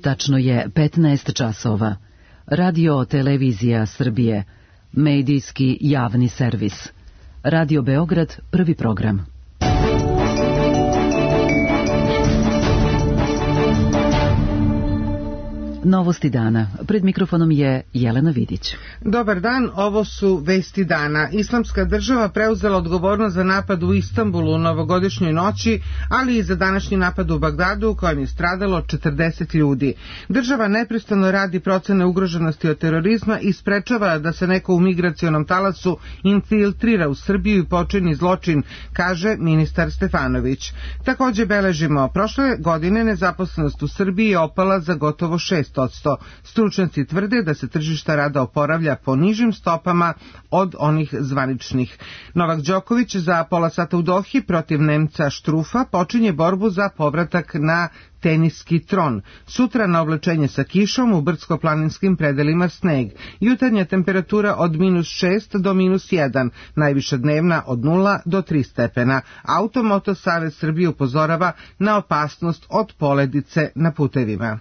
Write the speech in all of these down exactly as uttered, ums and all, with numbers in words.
Tačno je petnaest časova. Radio Televizija Srbije, medijski javni servis. Radio Beograd, prvi program. Novosti dana. Pred mikrofonom je Jelena Vidić. Dobar dan, ovo su vesti dana. Islamska država preuzela odgovornost za napad u Istanbulu u novogodišnjoj noći, ali i za današnji napad u Bagdadu u kojem je stradalo četrdeset ljudi. Država neprestano radi procene ugroženosti od terorizma i sprečava da se neko u migracionom talasu infiltrira u Srbiju i počini zločin, kaže ministar Stefanović. Takođe beležimo, prošle godine nezaposlenost u Srbiji je opala za gotovo šest odsto. Stručnjaci tvrde da se tržišta rada oporavlja po nižim stopama od onih zvaničnih. Novak Đoković za pola sata u Dohi protiv Nemca Štrufa počinje borbu za povratak na teniski tron. Sutra na oblačenje sa kišom, u brdsko-planinskim predelima sneg. Jutarnja temperatura od minus šest do minus jedan, najviša dnevna od nula do tri stepena. Automoto Savez Srbije upozorava na opasnost od poledice na putevima.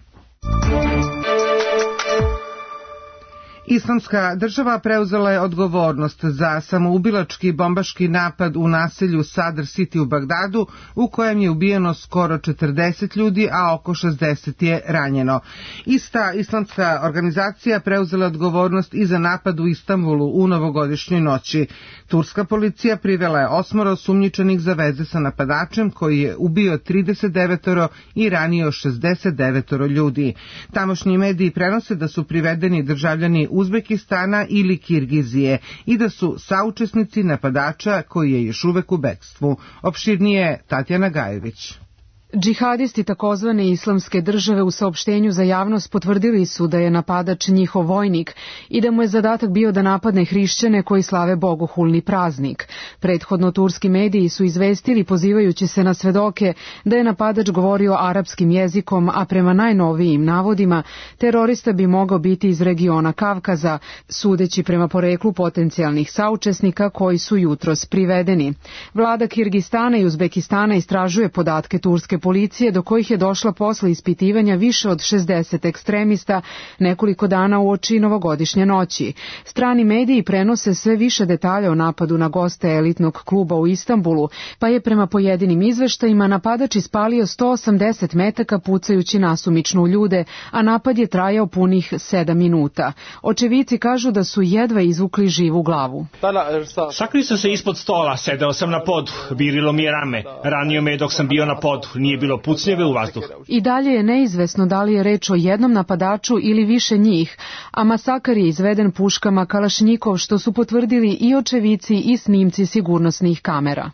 Islamska država preuzela je odgovornost za samoubilački bombaški napad u naselju Sadr City u Bagdadu, u kojem je ubijeno skoro četrdeset ljudi, a oko šezdeset je ranjeno. Ista islamska organizacija preuzela je odgovornost i za napad u Istanbulu u novogodišnjoj noći. Turska policija privela je osmoro osumnjičenih za veze sa napadačem koji je ubio trideset devet i ranio šezdeset devet ljudi. Tamošnji mediji prenose da su privedeni državljani Uzbekistana ili Kirgizije i da su saučesnici napadača koji je još uvek u bekstvu. Opširnije Tatjana Gajević. Džihadisti takozvane islamske države u saopštenju za javnost potvrdili su da je napadač njihov vojnik i da mu je zadatak bio da napadne hrišćane koji slave bogohulni praznik. Prethodno turski mediji su izvestili, pozivajući se na svedoke, da je napadač govorio arapskim jezikom, a prema najnovijim navodima terorista bi mogao biti iz regiona Kavkaza, sudeći prema poreklu potencijalnih saučesnika koji su jutros privedeni. Vlada Kirgistana i Uzbekistana istražuje podatke turske policije, do kojih je došla posle ispitivanja više od šezdeset ekstremista nekoliko dana uoči novogodišnje noći. Strani mediji prenose sve više detalja o napadu na goste elitnog kluba u Istanbulu, pa je prema pojedinim izveštajima napadač ispalio sto osamdeset metaka pucajući nasumično u ljude, a napad je trajao punih sedam minuta. Očevici kažu da su jedva izvukli živu glavu. Sakrio sam se ispod stola, sedeo sam na podu, virilo mi je rame, ranio me dok sam bio na podu. Nije bilo pucnjeve u vazduh. I dalje je neizvesno da li je reč o jednom napadaču ili više njih, a masakar je izveden puškama Kalašnjikov, što su potvrdili i očevici i snimci sigurnosnih kamera.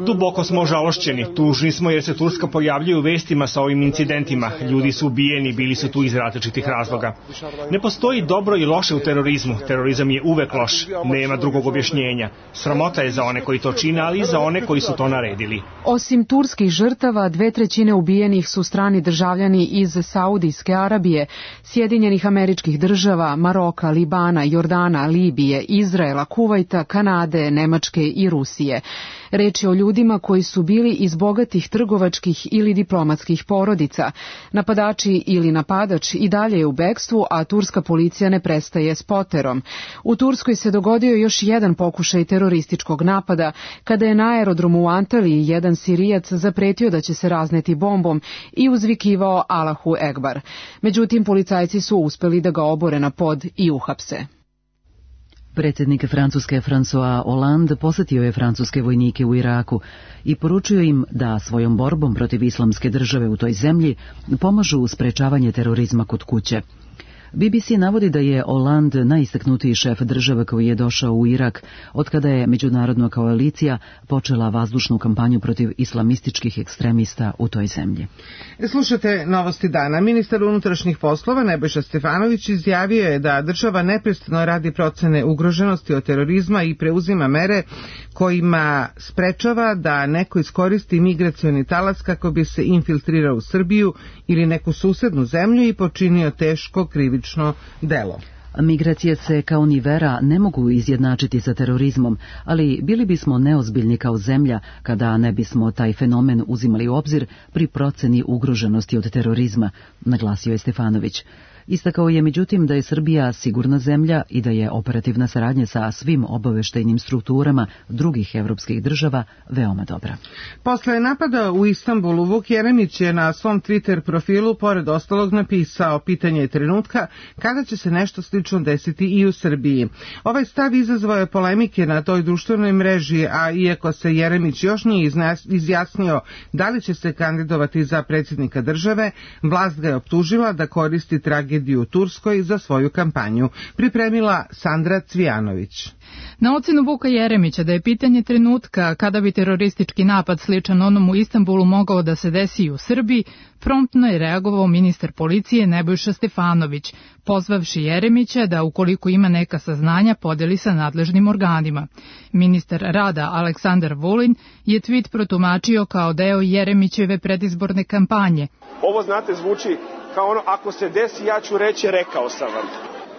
Duboko smo žalošćeni, tužni smo jer se Turska pojavljuje u vestima sa ovim incidentima. Ljudi su ubijeni, bili su tu iz različitih razloga. Ne postoji dobro i loše u terorizmu. Terorizam je uvek loš, nema drugog objašnjenja. Sramota je za one koji to čine, ali i za one koji su to naredili. Osim turskih žrtava, dve trećine ubijenih su strani državljani iz Saudijske Arabije, Sjedinjenih Američkih Država, Maroka, Libana, Jordana, Libije, Izraela, Kuvajta, Kanade, Nemačke i Rusije. Reč je o ljudima koji su bili iz bogatih trgovačkih ili diplomatskih porodica. Napadači ili napadač i dalje je u bekstvu, a turska policija ne prestaje s poterom. U Turskoj se dogodio još jedan pokušaj terorističkog napada, kada je na aerodromu u Antaliji jedan Sirijac zapretio da će se razneti bombom i uzvikivao Allahu Ekbar. Međutim, policajci su uspeli da ga obore na pod i uhapse. Predsjednik Francuske François Hollande posetio je francuske vojnike u Iraku i poručio im da svojom borbom protiv islamske države u toj zemlji pomažu u sprečavanje terorizma kod kuće. B B C navodi da je Hollande najistaknutiji šef države koji je došao u Irak otkada je međunarodna koalicija počela vazdušnu kampanju protiv islamističkih ekstremista u toj zemlji. Slušate novosti dana. Ministar unutrašnjih poslova Nebojša Stefanović izjavio je da država neprestano radi procene ugroženosti od terorizma i preuzima mere kojima sprečava da neko iskoristi migracioni talas kako bi se infiltrirao u Srbiju ili neku susednu zemlju i počinio teško krivično delo. Migracije se kao ni vera ne mogu izjednačiti sa terorizmom, ali bili bismo neozbiljni kao zemlja kada ne bismo taj fenomen uzimali u obzir pri proceni ugroženosti od terorizma, naglasio je Stefanović. Istakao je međutim da je Srbija sigurna zemlja i da je operativna saradnja sa svim obaveštajnim strukturama drugih evropskih država veoma dobra. Posle napada u Istanbulu, Vuk Jeremić je na svom Twitter profilu pored ostalog napisao: pitanje je trenutka kada će se nešto slično desiti i u Srbiji. Ovaj stav izazvao je polemike na toj društvenoj mreži, a iako se Jeremić još nije izjasnio da li će se kandidovati za predsjednika države, vlast ga je optužila da koristi tragediju u Turskoj za svoju kampanju. Pripremila Sandra Cvijanović. Na ocenu Vuka Jeremića da je pitanje trenutka kada bi teroristički napad sličan onom u Istanbulu mogao da se desi i u Srbiji, promptno je reagovao ministar policije Nebojša Stefanović, pozvavši Jeremića da ukoliko ima neka saznanja podeli sa nadležnim organima. Ministar rada Aleksandar Vulin je tweet protumačio kao deo Jeremićeve predizborne kampanje. Ovo, znate, zvuči kao ono: ako se desi, ja ću reći rekao sam vam.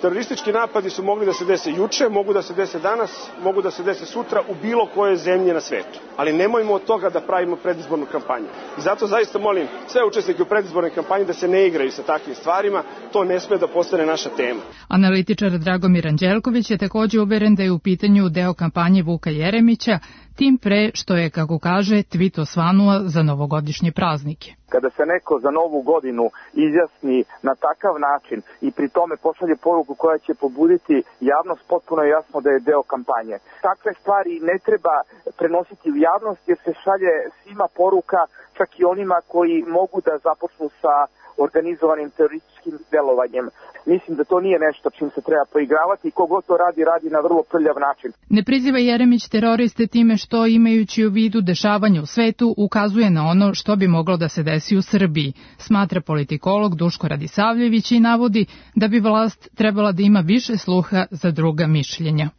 Teroristički napadi su mogli da se dese juče, mogu da se dese danas, mogu da se dese sutra u bilo kojoj zemlji na svetu. Ali nemojmo od toga da pravimo predizbornu kampanju. I zato zaista molim sve učesnike u predizbornoj kampanji da se ne igraju sa takvim stvarima, to ne sme da postane naša tema. Analitičar Dragomir Anđelković je također uveren da je u pitanju deo kampanje Vuka Jeremića, tim pre što je, kako kaže, tweet osvanuo za novogodišnje praznike. Kada se neko za novu godinu izjasni na takav način i pri tome pošalje poruku koja će pobuditi javnost, potpuno je jasno da je deo kampanje. Takve stvari ne treba prenositi u javnost jer se šalje svima poruka, čak i onima koji mogu da započnu sa organizovanim terorističkim delovanjem. Mislim da to nije nešto čim se treba poigravati i kogod to radi, radi na vrlo prljav način. Ne priziva Jeremić teroriste time što, imajući u vidu dešavanje u svetu, ukazuje na ono što bi moglo da se desi u Srbiji, smatra politikolog Duško Radisavljević i navodi da bi vlast trebala da ima više sluha za druga mišljenja.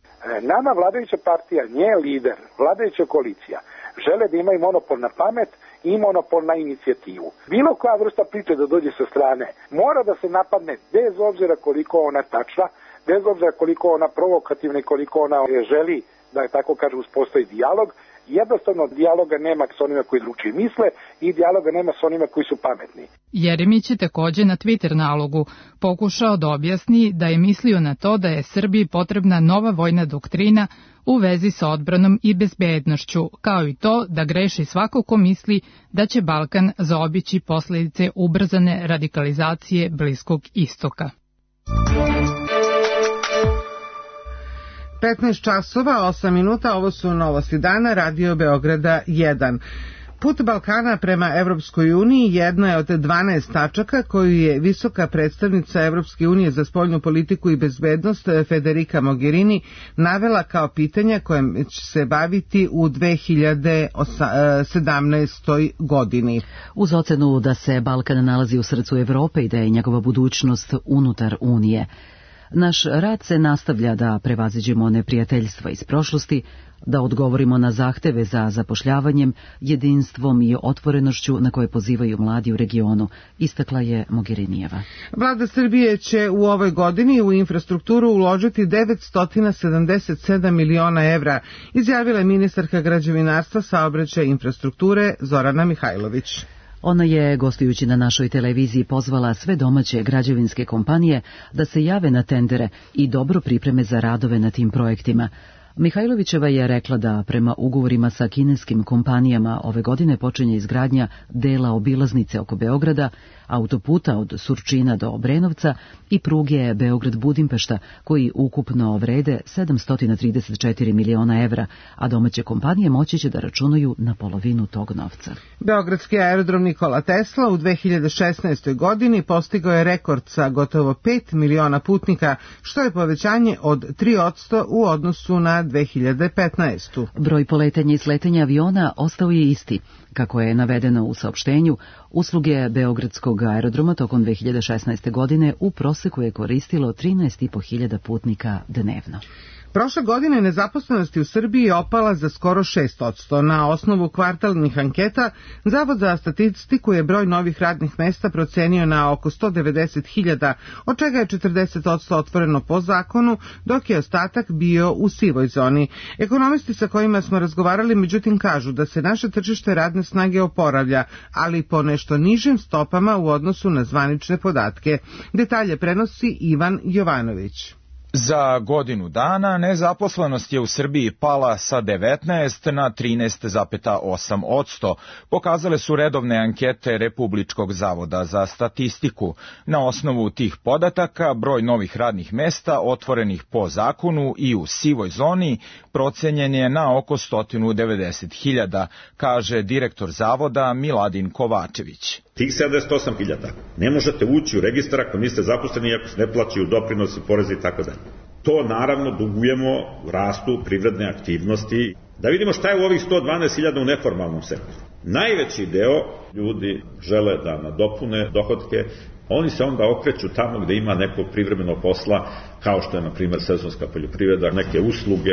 Nama vladajuća partija, nje lider, vladajuća koalicija, žele da imaju monopol na pamet i monopol na inicijativu. Bilo koja vrsta priče da dođe sa strane mora da se napadne bez obzira koliko ona tačna, bez obzira koliko ona provokativna i koliko ona želi da, tako kaže, uspostavi dijalog. Jednostavno dijaloga nema s onima koji drugačije misle i dijaloga nema s onima koji su pametni. Jeremić je također na Twitter nalogu pokušao da objasni da je mislio na to da je Srbiji potrebna nova vojna doktrina u vezi sa odbranom i bezbednošću, kao i to da greši svako ko misli da će Balkan zaobići posljedice ubrzane radikalizacije Bliskog istoka. petnaest časova, osam minuta, ovo su novosti dana, Radio Beograda jedan. Put Balkana prema Evropskoj uniji jedna je od dvanaest tačaka koju je visoka predstavnica Evropske unije za spoljnu politiku i bezbednost Federica Mogherini navela kao pitanja kojem će se baviti u dve hiljade sedamnaestoj. godini. Uz ocenu da se Balkan nalazi u srcu Evrope i da je njegova budućnost unutar Unije. Naš rad se nastavlja da prevaziđemo neprijateljstva iz prošlosti, da odgovorimo na zahteve za zapošljavanjem, jedinstvom i otvorenošću na koje pozivaju mladi u regionu, istakla je Mogherinijeva. Vlada Srbije će u ovoj godini u infrastrukturu uložiti devetsto sedamdeset sedam miliona evra, izjavila je ministarka građevinarstva, saobraćaja i infrastrukture Zorana Mihajlović. Ona je, gostujući na našoj televiziji, pozvala sve domaće građevinske kompanije da se jave na tendere i dobro pripreme za radove na tim projektima. Mihajlovićeva je rekla da prema ugovorima sa kineskim kompanijama ove godine počinje izgradnja dela obilaznice oko Beograda, autoputa od Surčina do Obrenovca i pruge Beograd-Budimpešta, koji ukupno vrede sedamsto trideset četiri miliona evra, a domaće kompanije moći će da računaju na polovinu tog novca. Beogradski aerodrom Nikola Tesla u dve hiljade šesnaestoj. godini postigao je rekord sa gotovo pet miliona putnika, što je povećanje od tri posto u odnosu na dve hiljade petnaestu. Broj poletanja i sletanja aviona ostao je isti. Kako je navedeno u saopštenju, usluge Beogradskog aerodroma tokom dve hiljade šesnaeste. godine u proseku je koristilo trinaest i po hiljada putnika dnevno. Prošle godine nezaposlenost u Srbiji je opala za skoro šest posto. Na osnovu kvartalnih anketa, Zavod za statistiku je broj novih radnih mesta procenio na oko sto devedeset hiljada, od čega je četrdeset posto otvoreno po zakonu, dok je ostatak bio u sivoj zoni. Ekonomisti sa kojima smo razgovarali međutim kažu da se naše tržište radne snage oporavlja, ali po nešto nižim stopama u odnosu na zvanične podatke. Detalje prenosi Ivan Jovanović. Za godinu dana nezaposlenost je u Srbiji pala sa devetnaest na trinaest zarez osam posto, pokazale su redovne ankete Republičkog zavoda za statistiku. Na osnovu tih podataka broj novih radnih mesta otvorenih po zakonu i u sivoj zoni procenjen je na oko sto devedeset hiljada, kaže direktor zavoda Miladin Kovačević. Tih sedamdeset osam hiljada ne možete ući u registar ako niste zaposleni, ako se ne plaćaju doprinosi, porezi i tako dalje. To naravno dugujemo rastu privredne aktivnosti. Da vidimo šta je u ovih sto dvanaest hiljada u neformalnom sektoru. Najveći deo ljudi žele da nadopune dohotke, oni se onda okreću tamo gde ima nekog privremenog posla, kao što je, na primjer, sezonska poljoprivreda, neke usluge,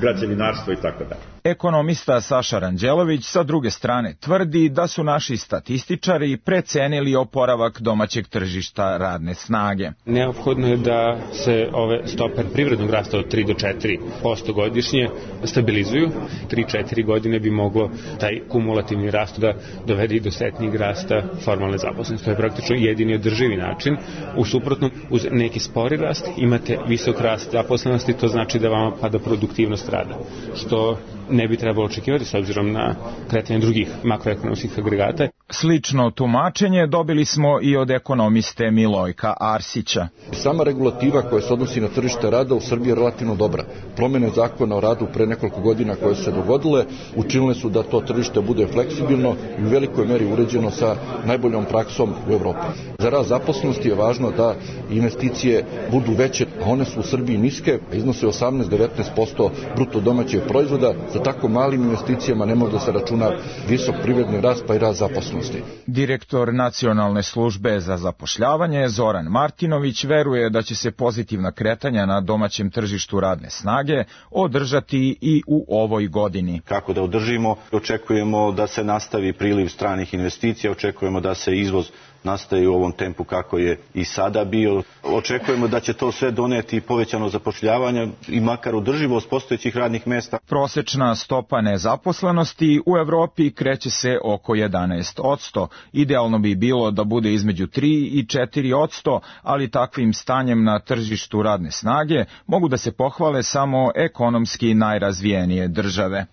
građevinarstvo i tako dalje. Ekonomista Saša Ranđelović sa druge strane tvrdi da su naši statističari precenili oporavak domaćeg tržišta radne snage. Neophodno je da se ove stope privrednog rasta od tri do četiri posto godišnje stabilizuju. tri do četiri godine bi moglo taj kumulativni rast da dovede i do setnijeg rasta formalne zaposlenosti. To je praktično jedini održivi način. U suprotnom, uz neki spori rast imate visok rast zaposlenosti, to znači da vama pada produktivnost rada, što ne bi trebalo očekivati s obzirom na kretanje drugih makroekonomskih agregata. Slično tumačenje dobili smo i od ekonomiste Milojka Arsića. Sama regulativa koja se odnosi na tržište rada u Srbiji je relativno dobra. Promene zakona o radu pre nekoliko godina koje su se dogodile učinile su da to tržište bude fleksibilno i u velikoj meri uređeno sa najboljom praksom u Evropi. Za rast zaposlenosti je važno da investicije budu veće, a one su u Srbiji niske, iznose osamnaest do devetnaest posto bruto domaćeg proizvoda. Za tako malim investicijama ne može da se računa visok privredni rast pa i rast zaposlenosti. Direktor Nacionalne službe za zapošljavanje Zoran Martinović veruje da će se pozitivna kretanja na domaćem tržištu radne snage održati i u ovoj godini. Kako da održimo? Očekujemo da se nastavi priliv stranih investicija, očekujemo da se izvoz nastaje u ovom tempu kako je i sada bio. Očekujemo da će to sve doneti povećano zapošljavanje i makar održivost postojećih radnih mesta. Prosečna stopa nezaposlenosti u Evropi kreće se oko jedanaest posto. Idealno bi bilo da bude između tri i četiri posto, ali takvim stanjem na tržištu radne snage mogu da se pohvale samo ekonomski najrazvijenije države.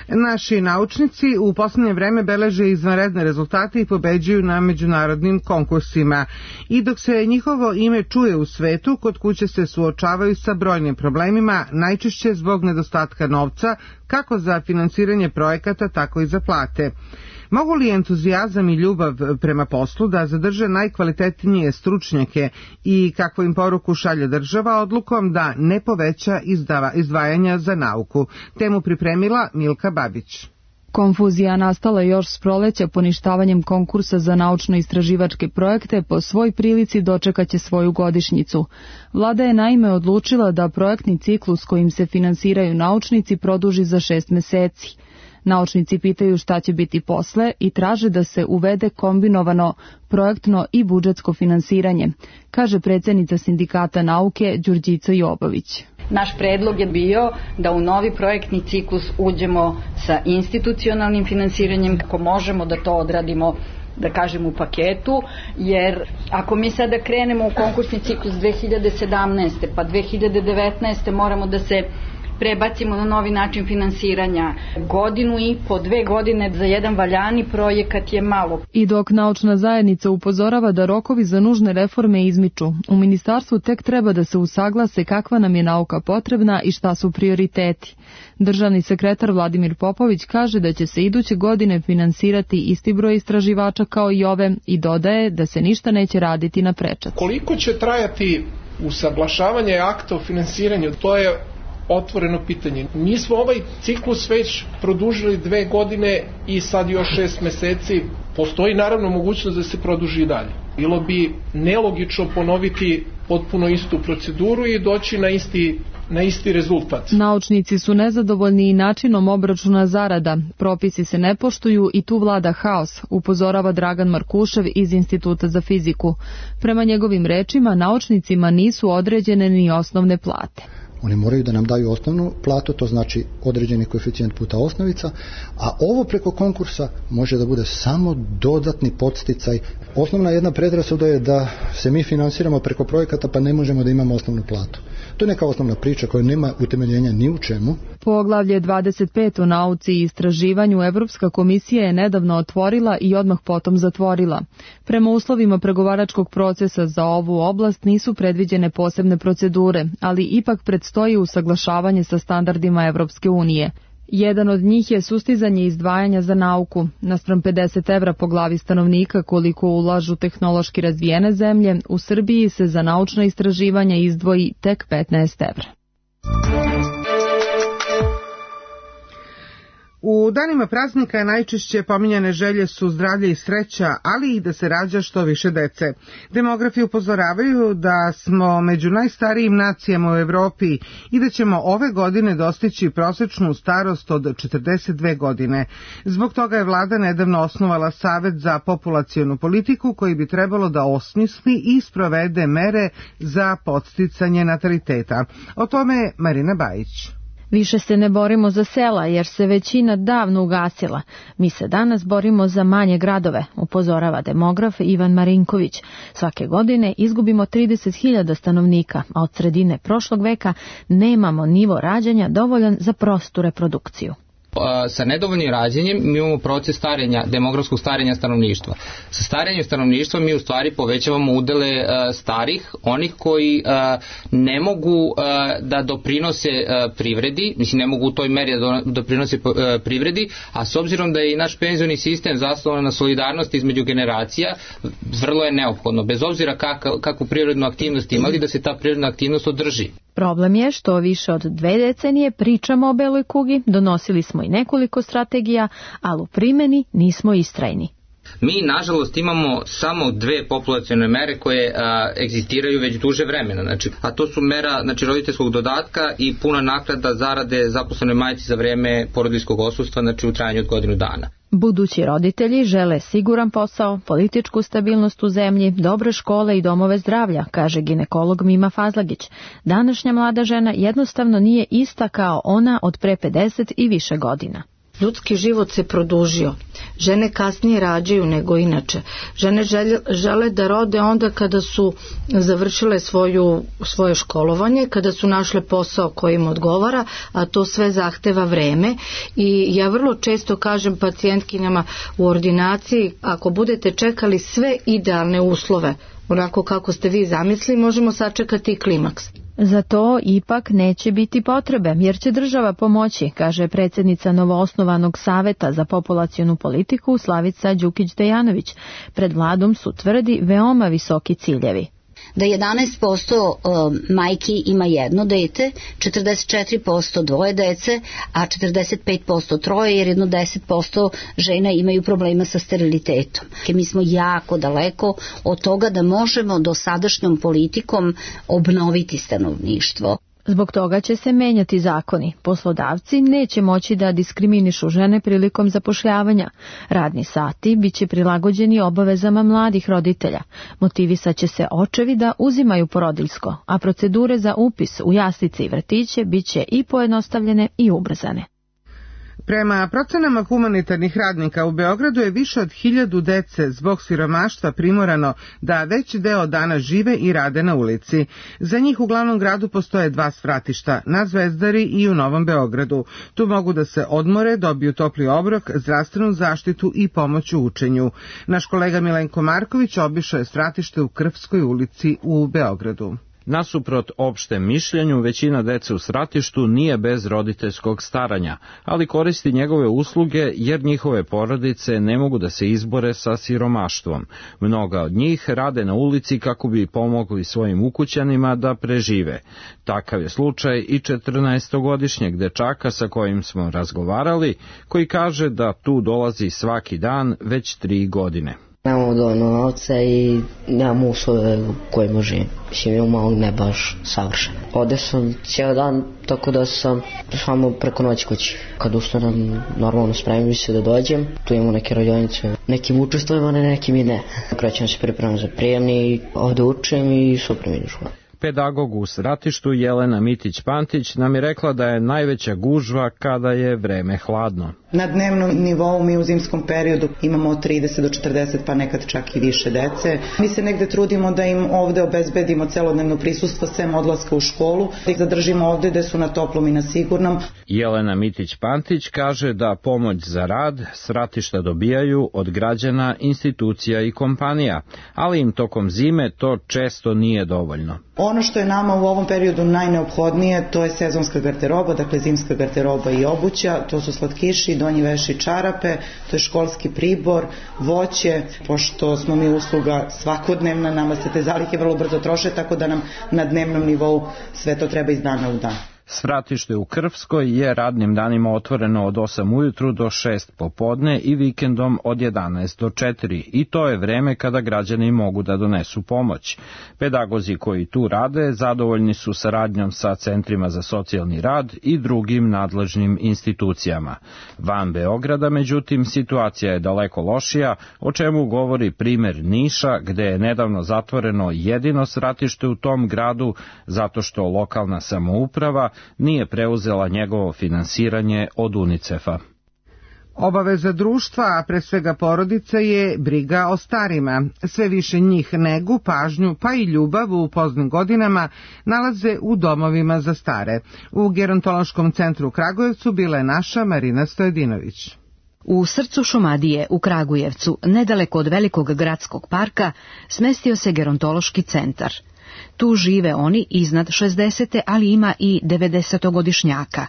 Naši naučnici u poslednje vreme beleže izvanredne rezultate i pobeđuju na međunarodnim konkursima. I dok se njihovo ime čuje u svetu, kod kuće se suočavaju sa brojnim problemima, najčešće zbog nedostatka novca, kako za finansiranje projekata, tako i za plate. Mogu li entuzijazam i ljubav prema poslu da zadrže najkvalitetnije stručnjake i kakvu im poruku šalje država odlukom da ne poveća izdava, izdvajanja za nauku? Temu pripremila Milka Babić. Konfuzija nastala još s proleća poništavanjem konkursa za naučno-istraživačke projekte po svoj prilici dočekaće svoju godišnjicu. Vlada je naime odlučila da projektni ciklus kojim se finansiraju naučnici produži za šest meseci. Naučnici pitaju šta će biti posle i traže da se uvede kombinovano projektno i budžetsko finansiranje, kaže predsjednica Sindikata nauke Đurđica Jobović. Naš predlog je bio da u novi projektni ciklus uđemo sa institucionalnim finansiranjem, kako možemo da to odradimo, da kažem, u paketu, jer ako mi sada krenemo u konkursni ciklus dve hiljade sedamnaeste. pa dve hiljade devetnaeste. moramo da se prebacimo na novi način finansiranja. Godinu i po, dve godine za jedan valjani projekat je malo. I dok naučna zajednica upozorava da rokovi za nužne reforme izmiču, u ministarstvu tek treba da se usaglase kakva nam je nauka potrebna i šta su prioriteti. Državni sekretar Vladimir Popović kaže da će se iduće godine finansirati isti broj istraživača kao i ove i dodaje da se ništa neće raditi na prečac. Koliko će trajati usaglašavanje akta o finansiranju, to je otvoreno pitanje. Mi smo ovaj ciklus već produžili dve godine i sad još šest meseci. Postoji naravno mogućnost da se produži i dalje. Bilo bi nelogično ponoviti potpuno istu proceduru i doći na isti na isti rezultat. Naučnici su nezadovoljni i načinom obračuna zarada. Propisi se ne poštuju i tu vlada haos, upozorava Dragan Markušev iz Instituta za fiziku. Prema njegovim rečima, naučnicima nisu određene ni osnovne plate. Oni moraju da nam daju osnovnu platu, to znači određeni koeficijent puta osnovica, a ovo preko konkursa može da bude samo dodatni podsticaj. Osnovna jedna predrasuda je da se mi finansiramo preko projekata pa ne možemo da imamo osnovnu platu. To je neka osnovna priča koja nema utemeljenja ni u čemu. Poglavlje dvadeset pet o nauci i istraživanju Evropska komisija je nedavno otvorila i odmah potom zatvorila. Prema uslovima pregovaračkog procesa za ovu oblast nisu predviđene posebne procedure, ali ipak predstoji usaglašavanje sa standardima Evropske unije. Jedan od njih je sustizanje izdvajanja za nauku. Naspram pedeset evra po glavi stanovnika koliko ulažu tehnološki razvijene zemlje, u Srbiji se za naučna istraživanja izdvoji tek petnaest evra. U danima praznika najčešće pominjane želje su zdravlje i sreća, ali i da se rađa što više dece. Demografi upozoravaju da smo među najstarijim nacijama u Evropi i da ćemo ove godine dostići prosečnu starost od četrdeset dve godine. Zbog toga je vlada nedavno osnovala Savet za populacionu politiku koji bi trebalo da osmisli i sprovede mere za podsticanje nataliteta. O tome Marina Bajić. Više se ne borimo za sela jer se većina davno ugasila. Mi se danas borimo za manje gradove, upozorava demograf Ivan Marinković. Svake godine izgubimo trideset hiljada stanovnika, a od sredine prošlog veka nemamo nivo rađanja dovoljan za prostu reprodukciju. Sa nedovoljnim rađenjem mi imamo proces starenja, demografskog starenja stanovništva. Sa starenjem stanovništva mi u stvari povećavamo udele uh, starih, onih koji uh, ne mogu uh, da doprinose uh, privredi, mislim ne mogu u toj meri da doprinose uh, privredi, a s obzirom da je i naš penzioni sistem zasnovan na solidarnosti između generacija, vrlo je neophodno, bez obzira kak, kakvu privrednu aktivnost imali, da se ta privredna aktivnost održi. Problem je što više od dve decenije pričamo o beloj kugi, donosili smo i nekoliko strategija, ali u primjeni nismo istrajni. Mi, nažalost, imamo samo dve populacione mere koje a, egzistiraju već duže vremena, znači, a to su mera znači, roditeljskog dodatka i puna naknada zarade zaposlenoj majci za vreme porodiljskog odsustva, znači u trajanju od godinu dana. Budući roditelji žele siguran posao, političku stabilnost u zemlji, dobre škole i domove zdravlja, kaže ginekolog Mima Fazlagić. Današnja mlada žena jednostavno nije ista kao ona od pre pedeset i više godina. Ljudski život se produžio. Žene kasnije rađaju nego inače. Žene žele, žele da rode onda kada su završile svoju, svoje školovanje, kada su našle posao koji im odgovara, a to sve zahteva vreme. I ja vrlo često kažem pacijentkinjama u ordinaciji, ako budete čekali sve idealne uslove, onako kako ste vi zamislili, možemo sačekati i klimaks. Za to ipak neće biti potrebe, jer će država pomoći, kaže predsjednica novoosnovanog Saveta za populacionu politiku Slavica Đukić-Dejanović. Pred vladom su, tvrdi, veoma visoki ciljevi. Da jedanaest posto majki ima jedno dete, četrdeset četiri posto dvoje dece, a četrdeset pet posto troje, jer jedno deset posto žena imaju problema sa sterilitetom. Mi smo jako daleko od toga da možemo dosadašnjom politikom obnoviti stanovništvo. Zbog toga će se menjati zakoni. Poslodavci neće moći da diskriminišu žene prilikom zapošljavanja. Radni sati biće prilagođeni obavezama mladih roditelja. Motivisat će se očevi da uzimaju porodiljsko, a procedure za upis u jaslice i vrtiće biće i pojednostavljene i ubrzane. Prema procenama humanitarnih radnika u Beogradu je više od hiljadu dece zbog siromaštva primorano da veći deo dana žive i rade na ulici. Za njih u glavnom gradu postoje dva svratišta, na Zvezdari i u Novom Beogradu. Tu mogu da se odmore, dobiju topli obrok, zdravstvenu zaštitu i pomoć u učenju. Naš kolega Milenko Marković obišao je svratište u Krvskoj ulici u Beogradu. Nasuprot opštem mišljenju, većina dece u svratištu nije bez roditeljskog staranja, ali koristi njegove usluge jer njihove porodice ne mogu da se izbore sa siromaštvom. Mnoga od njih rade na ulici kako bi pomogli svojim ukućanima da prežive. Takav je slučaj i četrnaestogodišnjeg dečaka sa kojim smo razgovarali, koji kaže da tu dolazi svaki dan već tri godine. Nemamo dovoljno novca i nemamo uslove u kojima živim. Mislim, imamo ne baš savršeno. Ovde sam cijel dan, tako da sam samo preko noći kući. Kad ustanem, normalno spremim se da dođem. Tu imamo neke radionice. Nekim učestvujemo, ne nekim i ne. Krećem se pripremam za prijemni, ovde učim i sutra idem u školu. Pedagog u Sratištu Jelena Mitić-Pantić nam je rekla da je najveća gužva kada je vreme hladno. Na dnevnom nivou mi u zimskom periodu imamo od trideset do četrdeset pa nekad čak i više dece. Mi se negde trudimo da im ovde obezbedimo celodnevno prisustvo sem odlaska u školu, da ih zadržimo ovde da su na toplom i na sigurnom. Jelena Mitić-Pantić kaže da pomoć za rad Sratišta dobijaju od građana, institucija i kompanija, ali im tokom zime to često nije dovoljno. Ono što je nama u ovom periodu najneophodnije, to je sezonska garderoba, dakle zimska garderoba i obuća, to su slatkiši, donji veš i čarape, to je školski pribor, voće, pošto smo mi usluga svakodnevna, nama se te zalihe vrlo brzo troše, tako da nam na dnevnom nivou sve to treba iz dana u dan. Svratište u Krvskoj je radnim danima otvoreno od osam ujutru do šest popodne i vikendom od jedanaest do četiri i to je vreme kada građani mogu da donesu pomoć. Pedagozi koji tu rade zadovoljni su saradnjom sa centrima za socijalni rad i drugim nadležnim institucijama. Van Beograda, međutim, situacija je daleko lošija, o čemu govori primer Niša, gde je nedavno zatvoreno jedino svratište u tom gradu zato što lokalna samouprava nije preuzela njegovo finansiranje od UNICEF-a. Obaveza društva, a pre svega porodice, je briga o starima. Sve više njih negu, pažnju, pa i ljubav u poznim godinama nalaze u domovima za stare. U Gerontološkom centru u Kragujevcu bila je naša Marina Stojedinović. U srcu Šumadije, u Kragujevcu, nedaleko od velikog gradskog parka, smestio se gerontološki centar. Tu žive oni iznad šezdesete, ali ima i devedesetogodišnjaka.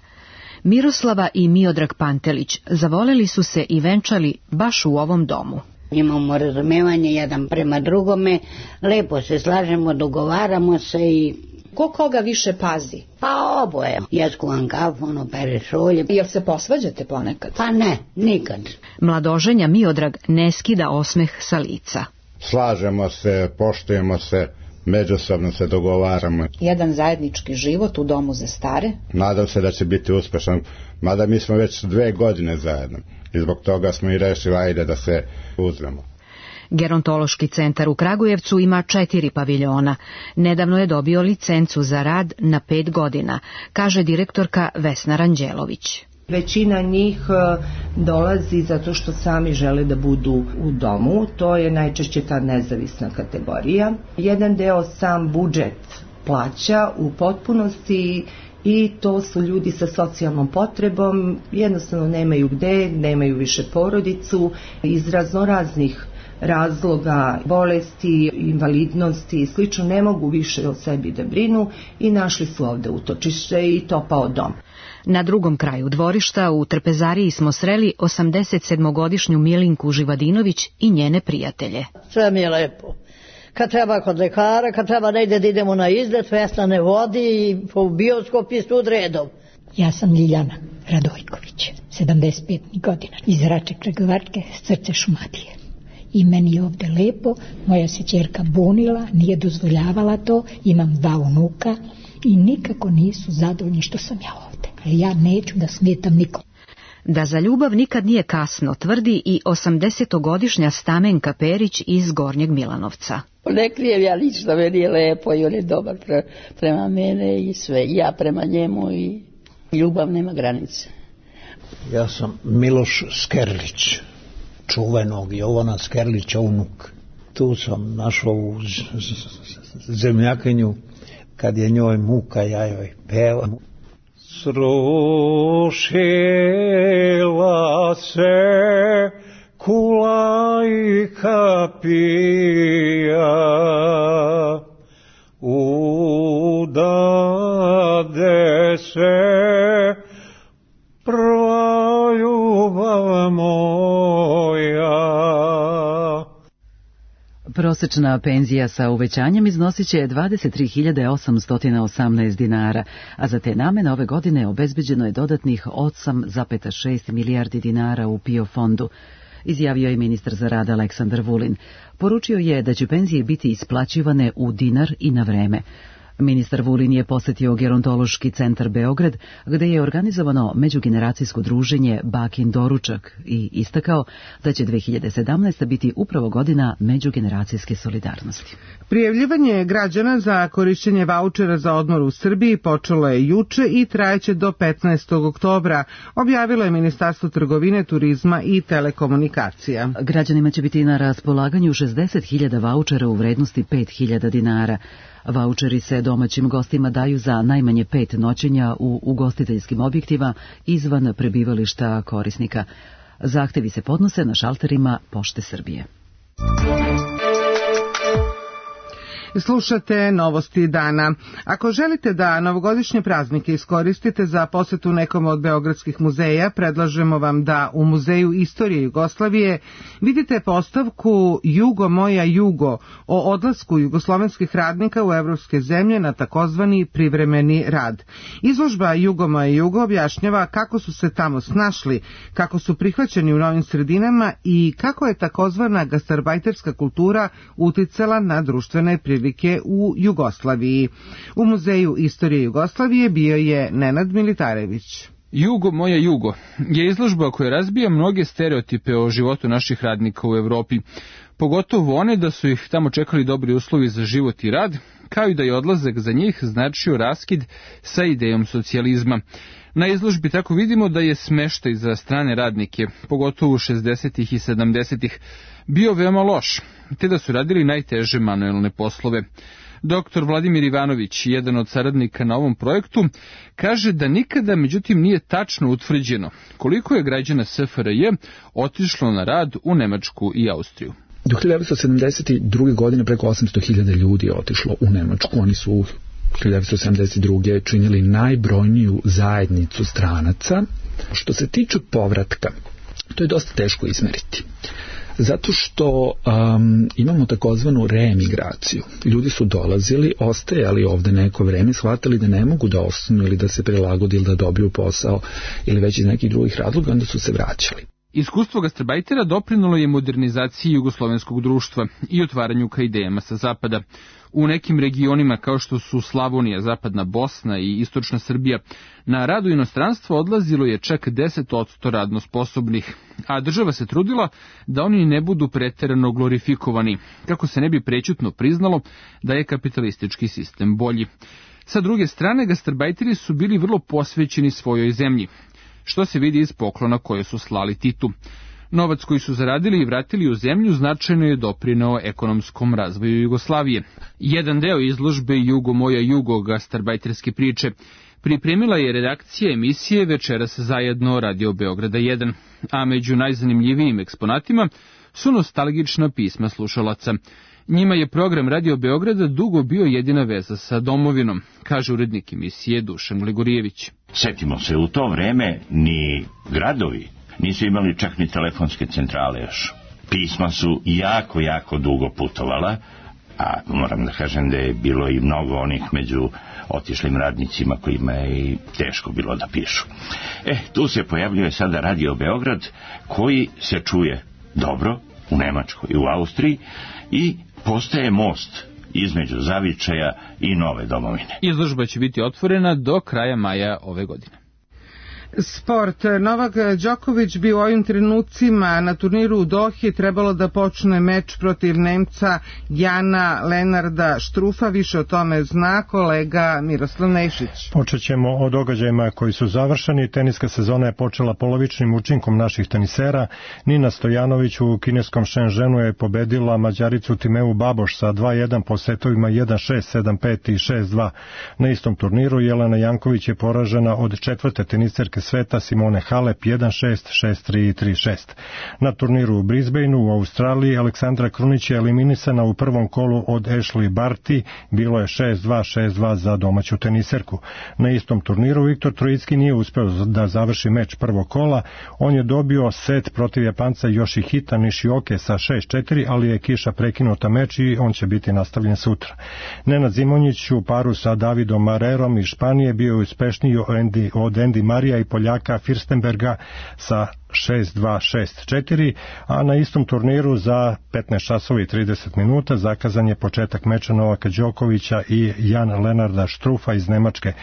Miroslava i Miodrag Pantelić zavoleli su se i venčali baš u ovom domu. Imamo razumevanje jedan prema drugome, lepo se slažemo, dogovaramo se i... Ko koga više pazi? Pa oboje. Ja skuvam kafu, ono pere šolje. Jel se posvađate ponekad? Pa ne, nikad. Mladoženja Miodrag ne skida osmeh sa lica. Slažemo se, poštujemo se, međusobno se dogovaramo. Jedan zajednički život u domu za stare. Nadam se da će biti uspešan, mada mi smo već dve godine zajedno i zbog toga smo i rešili ajde da se uzmemo. Gerontološki centar u Kragujevcu ima četiri paviljona. Nedavno je dobio licencu za rad na pet godina, kaže direktorka Vesna Ranđelović. Većina njih dolazi zato što sami žele da budu u domu, to je najčešće ta nezavisna kategorija. Jedan deo sam budžet plaća u potpunosti i to su ljudi sa socijalnom potrebom, jednostavno nemaju gde, nemaju više porodicu, iz raznoraznih razloga, bolesti, invalidnosti i slično ne mogu više o sebi da brinu i našli su ovde utočište i topao dom. Na drugom kraju dvorišta u Trpezariji smo sreli osamdesetsedmogodišnju Milinku Živadinović i njene prijatelje. Sve mi je lepo. Kad treba kod lekara, kad treba negde da idemo na izlet, Vesna ne vodi i po bioskop i stud redom. Ja sam Ljiljana Radojković, sedamdeset pet godina, iz Rače Kragovačke, srce Šumadije. I meni je ovde lepo, moja se ćerka bunila, nije dozvoljavala to, imam dva unuka i nikako nisu zadovoljni što sam ja ovde. Ali ja neću da smetam nikom. Da za ljubav nikad nije kasno, tvrdi i osamdesetogodišnja Stamenka Perić iz Gornjeg Milanovca. Ne krijem ja lično, meni je lepo i on je dobar pre, prema mene i sve, ja prema njemu i ljubav nema granice. Ja sam Miloš Skerlić, čuvenog Jovana Skerlića unuk. Tu sam našao u zemljakinju, kad je njoj muka, ja joj pevam. Srušila se kula i kapija, udade se prva ljubav moja. Prosečna penzija sa uvećanjem iznosit će dvadeset tri hiljade osamsto osamnaest dinara, a za te namene ove godine obezbeđeno je dodatnih osam zarez šest milijardi dinara u PIO fondu. izjavio je ministar za rad Aleksandar Vulin. Poručio je da će penzije biti isplaćivane u dinar i na vreme. Ministar Vulin je posetio Gerontološki centar Beograd, gde je organizovano međugeneracijsko druženje Bakin doručak i istakao da će dve hiljade sedamnaesta. biti upravo godina međugeneracijske solidarnosti. Prijavljivanje građana za korišćenje vaučera za odmor u Srbiji počelo je juče i trajeće do petnaestog oktobra, objavilo je Ministarstvo trgovine, turizma i telekomunikacija. Građanima će biti na raspolaganju šezdeset hiljada vaučera u vrednosti pet hiljada dinara. Vaučeri se domaćim gostima daju za najmanje pet noćenja u ugostiteljskim objektima izvan prebivališta korisnika. Zahtevi se podnose na šalterima Pošte Srbije. Slušate novosti dana. Ako želite da novogodišnje praznike iskoristite za posetu nekom od beogradskih muzeja, predlažemo vam da u Muzeju istorije Jugoslavije vidite postavku Jugo moja jugo o odlasku jugoslovenskih radnika u evropske zemlje na takozvani privremeni rad. Izložba Jugo moja jugo objašnjava kako su se tamo snašli, kako su prihvaćeni u novim sredinama i kako je takozvana gastarbajterska kultura uticala na društvene prilike u Jugoslaviji. U Muzeju istorije Jugoslavije bio je Nenad Militarević. Jugo moja jugo je izložba koja razbija mnoge stereotipe o životu naših radnika u Evropi, pogotovo one da su ih tamo čekali dobri uslovi za život i rad, kao i da je odlazak za njih značio raskid sa idejom socijalizma. Na izložbi tako vidimo da je smeštaj za strane radnike, pogotovo u šezdesetih i sedamdesetih, bio veoma loš, te da su radili najteže manuelne poslove. Doktor Vladimir Ivanović, jedan od saradnika na ovom projektu, kaže da nikada međutim nije tačno utvrđeno koliko je građana S F R J otišlo na rad u Nemačku i Austriju. Do hiljadu devetsto sedamdeset druge. godine preko osamsto hiljada ljudi je otišlo u Nemačku. Oni su u hiljadu devetsto sedamdeset druge. činili najbrojniju zajednicu stranaca. Što se tiče povratka, to je dosta teško izmeriti. Zato što um, imamo takozvanu reemigraciju. Ljudi su dolazili, ostajali ovde neko vreme, shvatili da ne mogu da ostanu ili da se prilagode ili da dobiju posao ili već iz nekih drugih razloga, onda su se vraćali. Iskustvo gastarbajtera doprinulo je modernizaciji jugoslovenskog društva i otvaranju ka idejama sa zapada. U nekim regionima kao što su Slavonija, Zapadna Bosna i Istočna Srbija, na rad u inostranstvo odlazilo je čak deset posto radno sposobnih, a država se trudila da oni ne budu preterano glorifikovani, kako se ne bi prećutno priznalo da je kapitalistički sistem bolji. Sa druge strane, gastarbajteri su bili vrlo posvećeni svojoj zemlji, što se vidi iz poklona koje su slali Titu. Novac koji su zaradili i vratili u zemlju značajno je doprineo ekonomskom razvoju Jugoslavije. Jedan deo izložbe Jugo moja jugo gastarbajterske priče pripremila je redakcija emisije Večeras zajedno Radio Beograda jedan, a među najzanimljivijim eksponatima su nostalgična pisma slušalaca. Njima je program Radio Beograda dugo bio jedina veza sa domovinom, kaže urednik emisije Dušan Gligorijević. Setimo se, u to vreme ni gradovi nisu imali čak ni telefonske centrale još. Pisma su jako, jako dugo putovala, a moram da kažem da je bilo i mnogo onih među otišlim radnicima kojima je i teško bilo da pišu. E, tu se pojavljuje sada Radio Beograd, koji se čuje dobro u Nemačkoj i u Austriji i postaje most između zavičaja i nove domovine. Izložba će biti otvorena do kraja maja ove godine. Sport. Novak Đoković bi u ovim trenucima na turniru u Dohi trebalo da počne meč protiv Nemca Jana Lenarda Štrufa. Više o tome zna kolega Miroslav Nešić. Počet ćemo o događajima koji su završeni. Teniska sezona je počela polovičnim učinkom naših tenisera. Nina Stojanović u kineskom Shenzhenu je pobedila Mađaricu Timeu Baboš sa dva jedan po setovima jedan šest, sedam pet i šest dva. Na istom turniru Jelena Janković je poražena od četvrte teniserke sveta Simone Halep jedan šest, šest tri i tri šest. Na turniru u Brisbaneu u Australiji Aleksandra Krunić je eliminisana u prvom kolu od Ashley Barty, bilo je šest dva, šest dva za domaću teniserku. Na istom turniru Viktor Trojicki nije uspeo da završi meč prvog kola, on je dobio set protiv Japanca Yoshihita Nishioke sa šest četiri, ali je kiša prekinuta meč i on će biti nastavljen sutra. Nenad Zimonjić u paru sa Davidom Marerom iz Španije bio uspešniji od Andy Marija i Poljaka Firstenberga sa šest dva šest četiri, a na istom turniru za petnaest časova i trideset minuta zakazan je početak meča Novaka Đokovića i Jan Lenarda Štrufa iz Nemačke.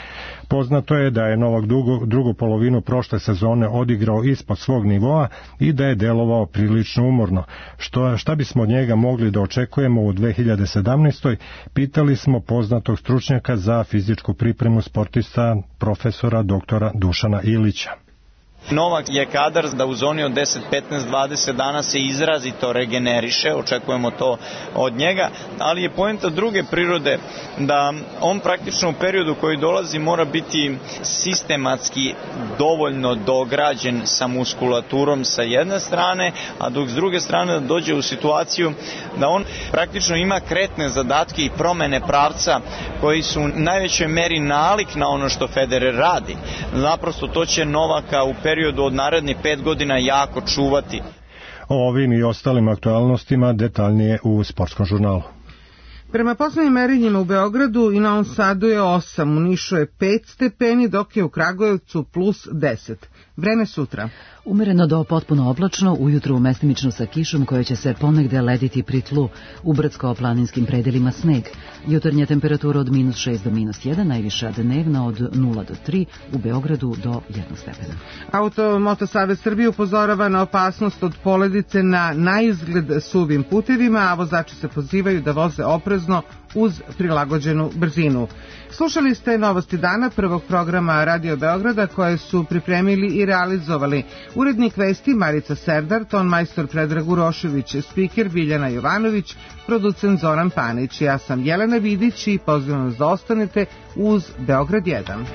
Poznato je da je Novak drugu, drugu polovinu prošle sezone odigrao ispod svog nivoa i da je delovao prilično umorno. Što, šta bismo od njega mogli da očekujemo u dve hiljade sedamnaestoj. Pitali smo poznatog stručnjaka za fizičku pripremu sportista profesora doktora Dušana Ilića. Novak je kadar da u zoni od deset, petnaest, dvadeset dana se izrazito regeneriše, očekujemo to od njega, ali je poenta druge prirode da on praktično u periodu koji dolazi mora biti sistematski dovoljno dograđen sa muskulaturom sa jedne strane, a dok s druge strane da dođe u situaciju da on praktično ima kretne zadatke i promene pravca koji su u najvećoj meri nalik na ono što Federer radi. Naprosto to će Novaka u periodu od narednih pet godina jako čuvati. O ovim i ostalim aktualnostima detaljnije u Sportskom žurnalu. Prema poslednjim merenjima u Beogradu i Novom Sadu je osam, u Nišu je pet stepeni, dok je u Kragujevcu plus deset. Vreme sutra. Umereno do potpuno oblačno, ujutru mestimično sa kišom koja će se ponegde lediti pri tlu, u brdsko-planinskim predelima sneg. Jutarnja temperatura od minus šest do minus jedan, najviša dnevna od nula do tri, u Beogradu do jednog stepena. Automoto Savez Srbije upozorava na opasnost od poledice na naizgled suvim putevima, a vozači se pozivaju da voze oprezno uz prilagođenu brzinu. Slušali ste Novosti dana prvog programa Radio Beograda koje su pripremili i realizovali urednik vesti Marica Serdar, ton majstor Predrag Urošević, spiker Biljana Jovanović, producent Zoran Panić. Ja sam Jelena Vidić i pozivam vas da ostanete uz Beograd jedan.